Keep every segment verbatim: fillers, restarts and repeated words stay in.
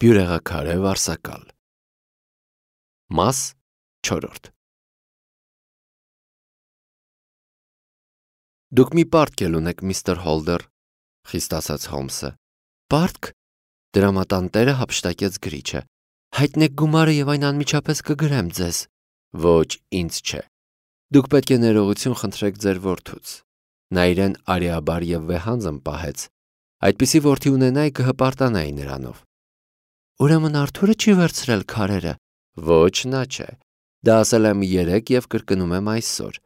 Բյուրեղաքարե վարսակալ։ Մաս չորրորդ։ Դուք մի պարտք էլ ունեք, միստր Հոլդեր, խիստ ասաց Հոլմսը։ Պարտք։ Դրամատանտերը հափշտակեց գրիչը։ Հայտնեք գումարը եւ այն անմիջապես կգրեմ ձեզ։ Ոչ, ինձ չէ։ Դուք պետք է ներողություն խնդրեք ձեր որդուց։ Նա իրեն արիաբար եւ վեհանձն պահեց։ Այդպիսի որդի ունենայի կհպարտանայի նրանով։ Ուրեմն Արթուրը չի վերցրել քարերը։ Ոչ, նա չէ։ Դա ասել եմ երեկ եւ կրկնում եմ այսօր։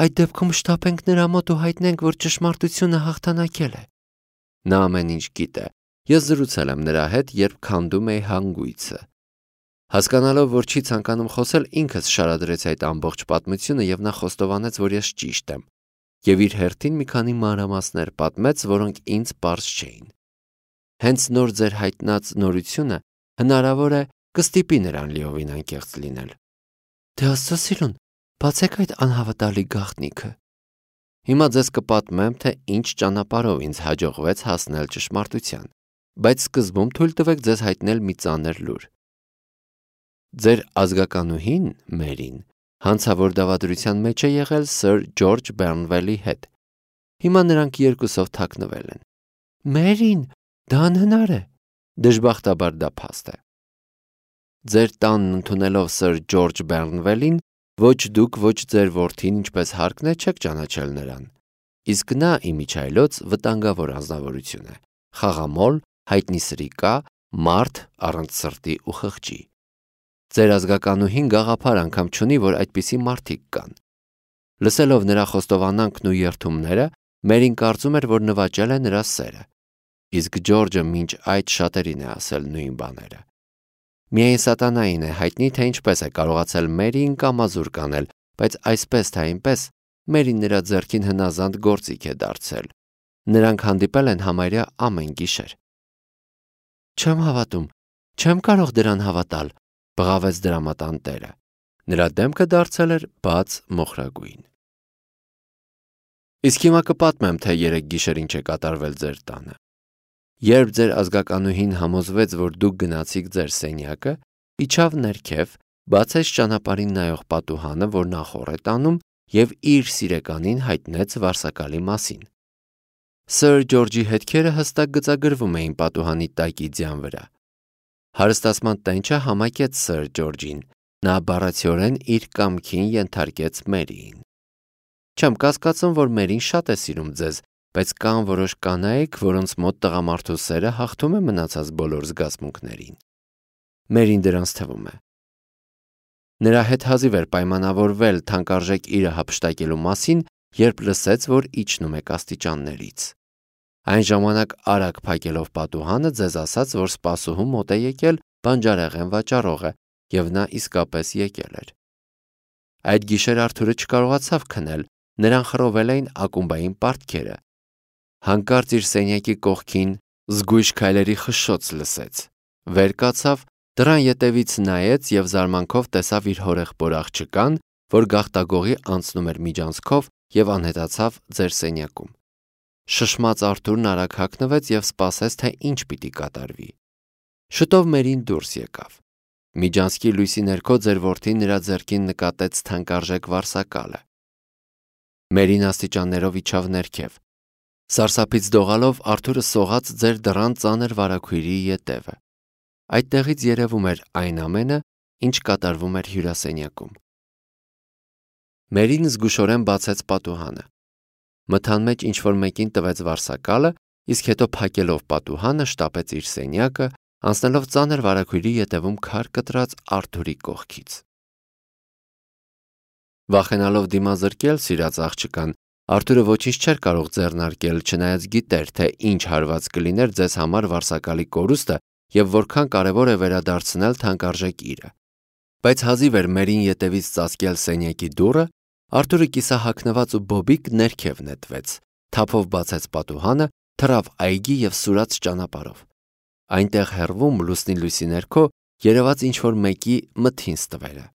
Այդ դեպքում շտապենք նրա մոտ ու հայտնենք, որ ճշմարտությունը հաղթանակել է։ Նա ամեն ինչ գիտե։ Ես զրուցել եմ նրա հետ, երբ քանդում էի հանգույցը։ Հասկանալով, որ չի ցանկանում խոսել, ինքս շարադրեց այդ ամբողջ պատմությունը եւ նա խոստովանեց, որ ես ճիշտ եմ։ Եվ իր հերթին մի քանի մանրամասներ պատմեց, որոնք ինձ պարզ չէին։ Հենց նոր ձեր հայտնած նորությունը հնարավոր է կստիպի նրան լիովին անկեղծ լինել։ Դե Աստծո սիրուն, բացեք այդ անհավատալի գաղտնիքը։ Հիմա ձեզ կպատմեմ, թե ինչ ճանապարհով ինձ հաջողվեց հասնել ճշմարտության, բայց սկզբում թույլ տվեք ձեզ հայտնել մի ծանր լուր։ Ձեր ազգականուհին, Մերին, հանցավոր դավադրության մեջ է եղել Սըր Ջորջ Բեռնվելի հետ։ Հիմա նրանք երկուսով թաքնվել են։ Մերին, դա անհնար է։ Դժբախտաբար դա փաստ է։ Ձեր տանն ընդունելով Սըր Ջորջ Բեռնվելին, ոչ դուք, ոչ ձեր որդին, ինչպես հարկն է, չեք ճանաչել նրան։ Իսկ նա իմիջայլոց վտանգավոր անձնավորություն է, խաղամոլ, հայտնի սրիկա, մարդ առանց սրտի ու խղճի։ Ձեր ազգականուհին գաղափար անգամ չունի, որ այդպիսի մարդիկ կան։ Լսելով նրա խոստովանանքն ու երդումները, Մերին կարծում էր, որ նվաճել է նրա սերը։ Իսկ Ջորջը մինչ այդ շատերին է ասել նույն բաները։ Միայն սատանային է հայտնի, թե ինչպես է կարողացել Մերիին կամազուր կանել, բայց այսպես թե այնպես Մերին նրա ձեռքին հնազանդ գործիք է դարձել։ Նրանք հանդիպել են համարյա ամեն գիշեր։ Չեմ հավատում, չեմ կարող դրան հավատալ, բղավեց դրամատանտերը։ Նրա դեմքը դարձել էր բաց մոխրագույն։ Իսկ հիմա կպատմեմ, թե երեք գիշեր ինչ է կատարվել ձեր տանը։ Երբ ձեր ազգականուհին համոզվեց, որ դուք գնացիք ձեր սենյակը, իջավ ներքև, բացեց ճանապարհին նայող պատուհանը, որ նախոր է տանում, եւ իր սիրեկանին հայտնեց վարսակալի մասին։ Սըր Ջորջի հետքերը հստակ գծագրվում էին պատուհանի տակի ձյան վրա։ Հարստացման տենչը համակեց Սըր Ջորջին, նա բառացիորեն իր կամքին ենթարկեց Մերիին։ Չեմ կասկածում, որ Մերին շատ է սիրում ձեզ, բայց կան որոշ կանայք, որոնց մոտ տղամարդու սերը հաղթում է մնացած բոլոր զգացմունքներին։ Մերին դրանց թվում է։ Նրա հետ հազիվ էր պայմանավորվել թանկարժեք իրը հափշտակելու մասին, երբ լսեց, որ իջնում եք աստիճաններից։ Այն ժամանակ արագ փակելով պատուհանը ձեզ ասաց, որ սպասուհու մոտ է եկել բանջարեղեն վաճառողը, եւ նա իսկապես եկել էր։ Այդ գիշեր Արթուրը չկարողացավ քնել, նրան խռովել էին ակումբային պարտքերը։ Հանկարծ իր սենյակի կողքին զգույշ քայլերի խշշոց լսեց։ Վեր կացավ, դռան ետևից նայեց եւ զարմանքով տեսավ իր հորեղբոր աղջկան, որ գաղտագողի անցնում էր միջանցքով եւ անհետացավ ձեր սենյակում։ Շշմած Արթուրն արագ հագնվեց եւ սպասեց, թե ինչ պիտի կատարվի։ Շուտով Մերին դուրս եկավ։ Միջանցքի լույսի ներքո ձեր որդին նրա ձեռքին նկատեց թանկարժեք վարսակալը։ Մերին աստիճաններով իջավ ներքև։ Սարսափից դողալով Արթուրը սողաց ձեր դռան ծանր վարագույրի ետևը։ Այդտեղից երևում էր այն ամենը, ինչ կատարվում էր հյուրասենյակում։ Մերին զգուշորեն բացեց պատուհանը։ Մթան մեջ ինչ-որ մեկին տվեց վարսակալը, իսկ հետո փակելով պատուհանը շտապեց իր սենյակը, անցնելով ծանր վարագույրի ետևում քար կտրած Արթուրի կողքից։ Վախենալով դիմազրկել սիրած աղջկան, Արթուրը ոչինչ չէր կարող ձեռնարկել, չնայած գիտեր, թե ինչ հարված կլիներ ձեզ համար վարսակալի կորուստը եւ որքան կարեւոր է վերադարձնել թանկարժեք իրը։ Բայց հազիվ էր Մերին ետևից ծածկել սենյակի դուռը, Արթուրը կիսահագնված ու բոբիկ ներքև նետվեց, թափով բացեց պատուհանը, թռավ այգի եւ սուրաց ճանապարհով։ Այնտեղ հեռվում լուսնի լույսի ներքո երևաց ինչ-որ մեկի մթին ստվերը։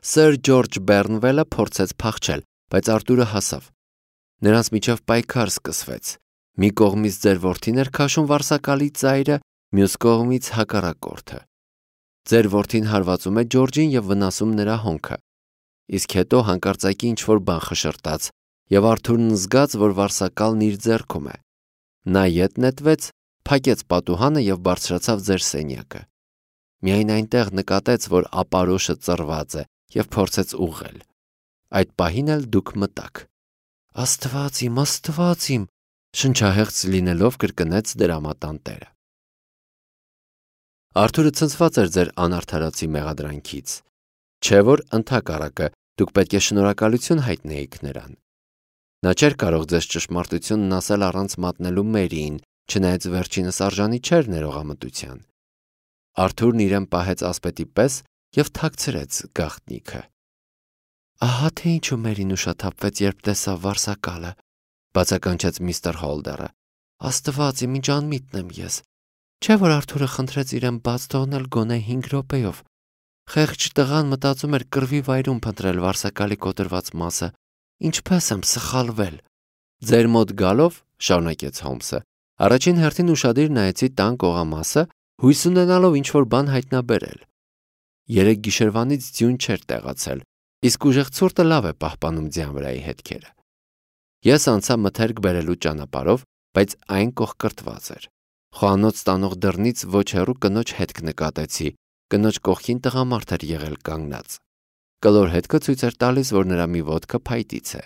Սըր Ջորջ Բեռնվելը փորձեց փախչել, բայց Արթուրը հասավ։ Նրանց միջև պայքար սկսվեց։ Մի կողմից ձեր որդին էր քաշում վարսակալի ծայրը, մյուս կողմից հակառակորդը։ Ձեր որդին հարվածում է Ջորջին եւ վնասում նրա հոնքը։ Իսկ հետո հանկարծակի ինչ-որ բան խշրտաց, եւ Արթուրն զգաց, որ վարսակալն իր ձեռքում է։ Նա ետ նետվեց, փակեց պատուհանը եւ բարձրացավ ձեր սենյակը։ Միայն այնտեղ նկատեց, որ ապարոշը ծռված է եւ փորձեց ուղղել։ Այդ պահին էլ դուք մտաք։ Աստված իմ, Աստված իմ, շնչահեղձ լինելով կրկնեց դրամատանտերը։ Արթուրը ցնցված էր ձեր անարդարացի մեղադրանքից։ Չէ՞ որ ընդհակառակը դուք պետք է շնորհակալություն հայտնեիք նրան։ Նա չէր կարող ձեզ ճշմարտությունն ասել առանց մատնելու Մերիին, չնայած վերջինս արժանի չէր ներողամտության։ Արթուրն իրեն պահեց ասպետի պես եւ թաքցրեց գաղտնիքը։ Ահա թե ինչու Մերին ուշաթափվեց, երբ տեսավ վարսակալը, բացականչեց միստր Հոլդերը։ Աստված իմ, ինչ անմիտն եմ ես։ Չէ՞ որ Արթուրը խնդրեց իրեն բաց թողնել գոնե հինգ րոպեով։ Խեղճ տղան մտածում էր կռվի վայրում փնտրել վարսակալի կոտրված մասը։ Ինչպես եմ սխալվել։ Ձեր մոտ գալով, շարունակեց Հոլմսը, առաջին հերթին ուշադիր նայեցի տան կողամասը, հույս ունենալով ինչ-որ բան հայտնաբերել։ Երեք գիշերվանից ձյուն չէր տեղացել, իսկ ուժեղ ցուրտը լավ է պահպանում ձյան վրայի հետքերը։ Ես անցա մթերք բերելու ճանապարհով, բայց այն կողկրտված էր։ Խոհանոց տանող դռնից ոչ հեռու կնոջ հետք նկատեցի, կնոջ կողքին տղամարդ էր եղել կանգնած։ Կլոր հետքը ցույց էր տալիս, որ նրա մի ոտքը փայտից է։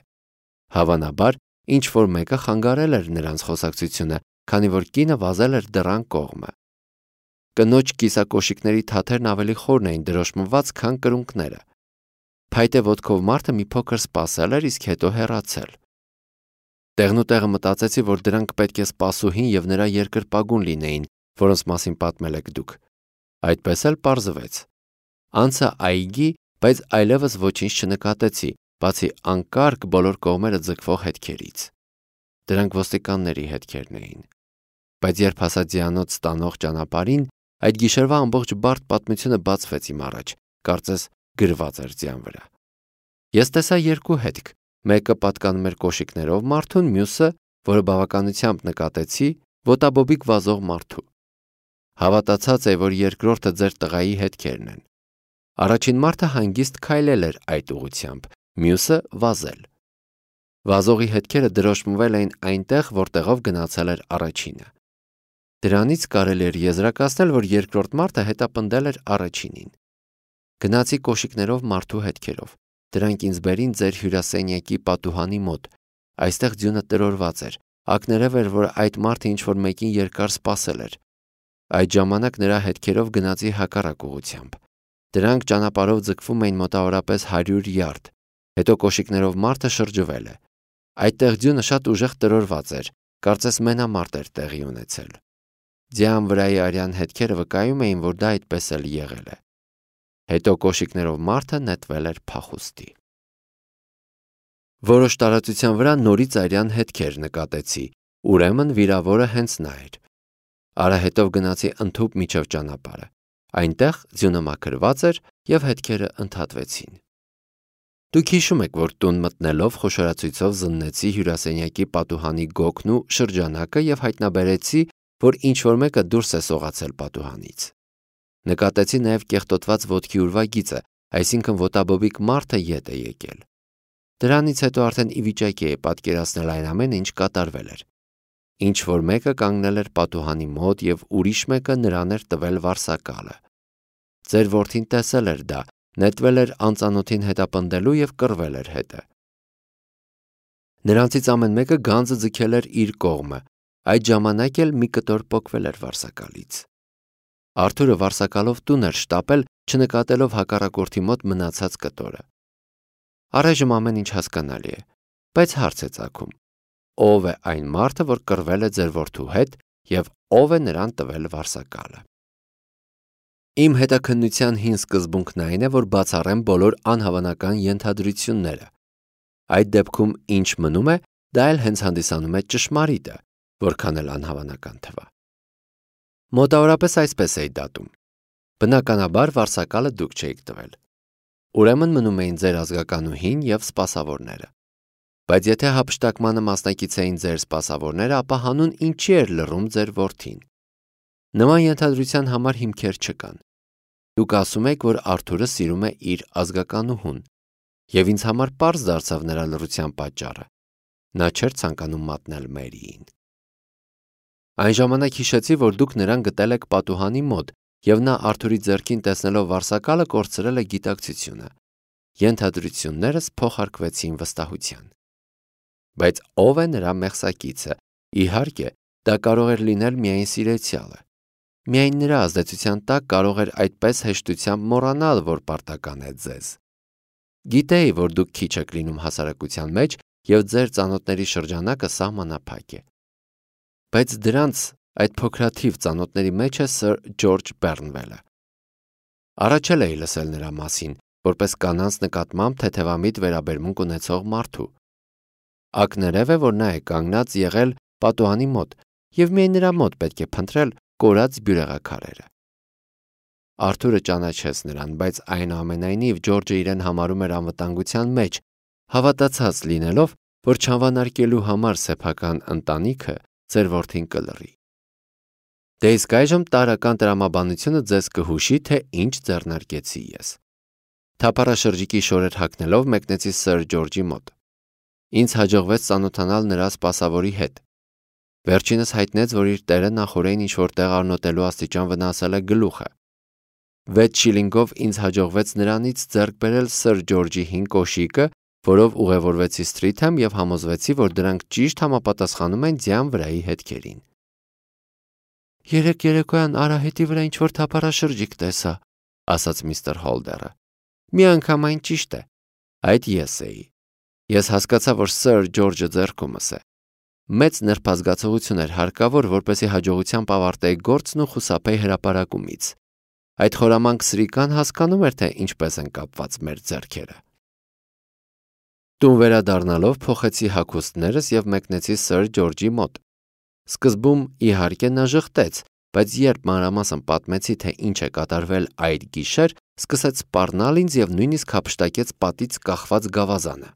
Հավանաբար, ինչ-որ մեկը խանգարել էր նրանց խոսակցությունը, քանի որ կինը վազել էր դռան կողմը։ Կնոջ կիսակոշիկների թաթերն ավելի խորն էին դրոշմված, քան կրունկները։ Փայտե ոտքով մարդը մի փոքր սպասել էր, իսկ հետո հեռացել։ Տեղնուտեղը մտածեցի, որ դրանք պետք է սպասուհին եւ նրա երկրպագուն լինեին, որոնց մասին պատմել եք դուք։ Այդպես էլ պարզվեց։ Անցա այգի, բայց այլևս ոչինչ չնկատեցի, բացի անկարգ բոլոր կողմերը ձգվող հետքերից։ Դրանք ոստիկանների հետքերն էին։ Բայց երբ հասա ձյանոց ստանող ճանապարհին, այդ գիշերվա ամբողջ բարդ պատմությունը բացվեց իմ առաջ, կարծես գրված էր ձյան վրա։ Ես տեսա երկու հետք, մեկը պատկանում էր կոշիկներով մարդուն, մյուսը, որը բավականությամբ նկատեցի, ոտաբոբիկ վազող մարդու։ Հավատացած է, որ երկրորդը ձեր տղայի հետքերն են։ Առաջին մարդը հանգիստ քայլել էր այդ ուղությամբ, մյուսը վազել։ Վազողի հետքերը դրոշմվել էին այնտեղ, որտեղով գնացել էր առաջինը։ Դրանից կարելի էր եզրակացնել, որ երկրորդ մարդը հետապնդել էր առաջինին։ Գնացի կոշիկներով մարդու հետքերով։ Դրանք ինձ բերին ձեր հյուրասենյակի պատուհանի մոտ։ Այստեղ ձյունը տրորված էր։ Ակներև էր, որ այդ մարդը ինչ-որ մեկին երկար սպասել էր։ Այդ ժամանակ նրա հետքերով գնացի հակառակ ուղությամբ։ Դրանք ճանապարհով ձգվում էին մոտավորապես հարյուր յարդ։ Հետո կոշիկներով մարդը շրջվել է։ Այդտեղ ձյունը շատ ուժեղ տրորված էր, կարծես մենամարտ էր տեղի ունեցել։ Ձյան վրայի արյան հետքերը վկայում էին, որ դա այդպես էլ եղել է։ Հետո կոշիկներով մարդը նետվել էր փախուստի։ Որոշ տարածության վրա նորից արյան հետքեր նկատեցի, ուրեմն վիրավորը հենց նա էր։ Արահետով գնացի ընդհուպ միջև ճանապարհը։ Այնտեղ ձյունը մաքրված էր եւ հետքերը ընդհատվեցին։ Դուք հիշում եք, որ տուն մտնելով խոշորացույցով զննեցի հյուրասենյակի պատուհանի գոգն ու շրջանակը եւ հայտնաբերեցի, որ ինչ-որ մեկը դուրս է սողացել պատուհանից։ Նկատեցի նաեւ կեղտոտված ոտքի ուրվագիծը, այսինքն ոտաբոբիկ մարդը ետ է եկել։ Դրանից հետո արդեն ի վիճակի էի պատկերացնել այն ամենը, ինչ կատարվել էր։ Ինչ-որ մեկը կանգնել էր պատուհանի մոտ եւ ուրիշ մեկը նրան էր տվել վարսակալը։ Ձեր որդին տեսել էր դա, նետվել էր անծանոթին հետապնդելու եւ կռվել էր հետը։ Նրանցից ամեն մեկը գանձը ձգել էր իր կողմը, այդ ժամանակ էլ մի կտոր պոկվել էր վարսակալից։ Արթուրը վարսակալով տուն էր շտապել, չնկատելով հակառակորդի մոտ մնացած կտորը։ Առայժմ ամեն ինչ հասկանալի է, բայց հարց է ծագում. ով է այն մարդը, որ կռվել է ձեր որդու հետ եւ ով է նրան տվել վարսակալը։ Իմ հետաքննության հին սկզբունքն այն է, որ բացառեմ բոլոր անհավանական ենթադրությունները։ Այդ դեպքում ինչ մնում է, դա էլ հենց հանդիսանում է ճշմարիտը, որքան էլ անհավանական թվա։ Մոտավորապես այսպես էի դատում։ Բնականաբար վարսակալը դուք չէիք տվել։ Ուրեմն մնում էին ձեր ազգականուհին եւ սպասավորները։ Բայց եթե հափշտակմանը մասնակից էին ձեր սպասավորները, ապա հանուն ինչի էր լռում ձեր որդին։ Նման ենթադրության համար հիմքեր չկան։ Դուք ասում եք, որ Արթուրը սիրում է իր ազգականուհուն, եւ ինձ համար պարզ դարձավ նրա լռության պատճառը։ Նա չէր ցանկանում մատնել Մերիին։ Այն ժամանակ հիշեցի, որ դուք նրան գտել եք պատուհանի մոտ, եւ նա Արթուրի ձեռքին տեսնելով վարսակալը կորցրել է գիտակցությունը։ Ենթադրություններս փոխարկվեցին վստահության։ Բայց ով է նրա մեղսակիցը։ Իհարկե, դա կարող էր լինել միայն սիրեցյալը։ Միայն նրա ազդեցության տակ կարող էր այդպես հեշտությամբ մոռանալ, որ պարտական է ձեզ։ Գիտեի, որ դուք քիչ եք լինում հասարակության մեջ եւ ձեր ծանոթների շրջանակը սահմանափակ է։ Բայց դրանց այդ փոքրաթիվ ծանոթների մեջ է Սըր Ջորջ Բեռնվելը։ Առաջել էի լսել նրա մասին, որպես կանանց նկատմամբ թեթևամիտ վերաբերմունք ունեցող մարդու։ Ակներև է, որ նա է կանգնած եղել պատուհանի մոտ եւ միայն նրա մոտ պետք է փնտրել կորած բյուրեղաքարերը։ Արթուրը ճանաչեց նրան, բայց այնուամենայնիվ Ջորջը իրեն համարում էր անվտանգության մեջ, հավատացած լինելով, որ չանվանարկելու համար սեփական ընտանիքը ձեր որդին կլռի։ Դե իսկ այժմ տարրական տրամաբանությունը ձեզ կհուշի, թե ինչ ձեռնարկեցի ես։ Թափառաշրջիկի շորեր հագնելով մեկնեցի Սըր Ջորջի մոտ։ Ինձ հաջողվեց ծանոթանալ նրա սպասավորի հետ։ Վերջինս հայտնեց, որ իր տերը նախօրեին ինչ-որ տեղ առնոտելու աստիճան վնասել է գլուխը։ Վեց շիլինգով ինձ հաջողվեց նրանից ձեռք բերել Սըր Ջորջի հին կոշիկը, որով ուղևորվեցի Սթրիթհեմ եւ համոզվեցի, որ դրանք ճիշտ համապատասխանում են ձյան վրայի հետքերին։ Երեք երեկոյան արահետի վրա ինչ-որ թափառաշրջիկ տեսա, ասաց միստր Հոլդերը։ Միանգամայն ճիշտ է։ Այդ ես էի։ Ես հասկացա, որ Սըր Ջորջը ձեռքումս է։ Մեծ նրբազգացողություն էր հարկավոր, որպեսզի հաջողությամբ ավարտեի գործն ու խուսափեի հրապարակումից։ Այդ խորամանկ սրիկան հասկանում էր, թե ինչպես են կապված մեր ձեռքերը։ Տուն վերադառնալով փոխեցի հագուստներս եւ մեկնեցի Սըր Ջորջի մոտ։ Սկզբում իհարկե նա ժխտեց, բայց երբ մանրամասն պատմեցի, թե ինչ է կատարվել այդ գիշեր, սկսեց սպառնալ ինձ եւ նույնիսկ հափշտակեց պատից կախված գավազանը։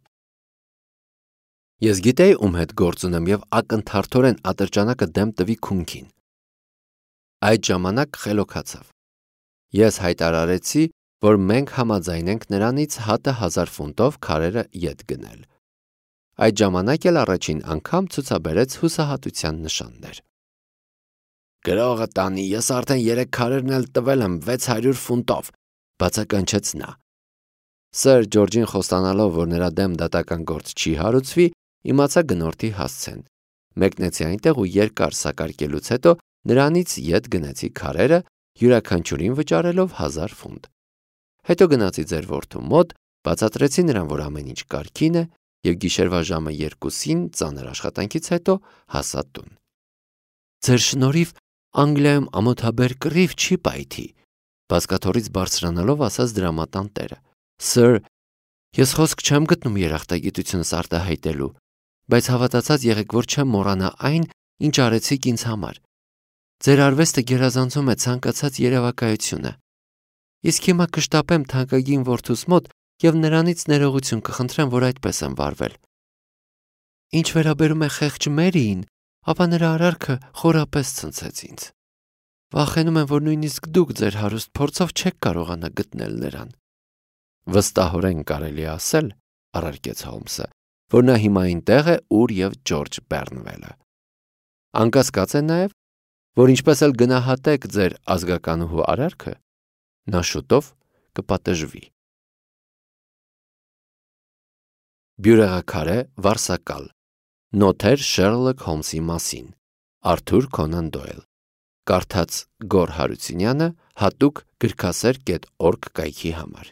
Ես գիտեի, ում հետ գործ ունեմ եւ ակնթարթորեն ատրճանակը դեմ տվի քունքին։ Այդ ժամանակ խելոքացավ։ Ես հայտարարեցի, որ մենք համաձայն ենք նրանից հատը հազար ֆունտով քարերը ետ գնել։ Այդ ժամանակ էլ առաջին անգամ ցուցաբերեց հուսահատության նշաններ։ Գրողը տանի, ես արդեն երեք քարերն էլ տվել եմ վեց հարյուր ֆունտով, բացականչեց նա։ Սըր Ջորջին խոստանալով, որ նրա դեմ դատական գործ չի հարուցվի, իմացա գնորդի հասցեն։ Մեկնեցի այնտեղ ու երկար սակարկելուց հետո նրանից ետ գնեցի քարերը, յուրաքանչյուրին վճարելով հազար ֆունտ։ Հետո գնացի ձեր որդու մոտ, բացատրեցի նրան, որ ամեն ինչ կարգին է, եւ գիշերվա ժամը երկուսին ծանր աշխատանքից հետո հասա տուն։ Ձեր շնորհիվ Անգլիայում ամոթաբեր կռիվ չի պայթի, բազկաթոռից բարձրանալով ասաց դրամատան տերը։ Սըր, ես խոսք չեմ գտնում երախտագիտությունս արտահայտելու, բայց հավատացած եղեք, որ չեմ մոռանա այն, ինչ արեցիք ինձ համար։ Ձեր արվեստը գերազանցում է ցանկացած երևակայությունը։ Իսկ հիմա կշտապեմ թանկագին որդուս մոտ եւ նրանից ներողություն կխնդրեմ, որ այդպես եմ վարվել։ Ինչ վերաբերում է խեղճ Մերիին, ապա նրա արարքը խորապես ցնցեց ինձ։ Վախենում եմ, որ նույնիսկ դուք ձեր հարուստ փորձով չեք կարողանա գտնել նրան։ Վստահորեն կարելի ասել, առարկեց Հոլմսը, որ նա հիմա այնտեղ է, ուր եւ Ջորջ Բեռնվելը։ Անկասկած է նաեւ, որ ինչպես էլ գնահատեք ձեր ազգականուհու արարքը, նա շուտով կպատժվի։ Բյուրեղաքարե վարսակալ։ Նոթեր Շերլոք Հոլմսի մասին։ Արթուր Քոնան Դոյլ։ Կարդաց Գոր Հարությունյանը հատուկ գրքասեր կետ օրգ կայքի համար։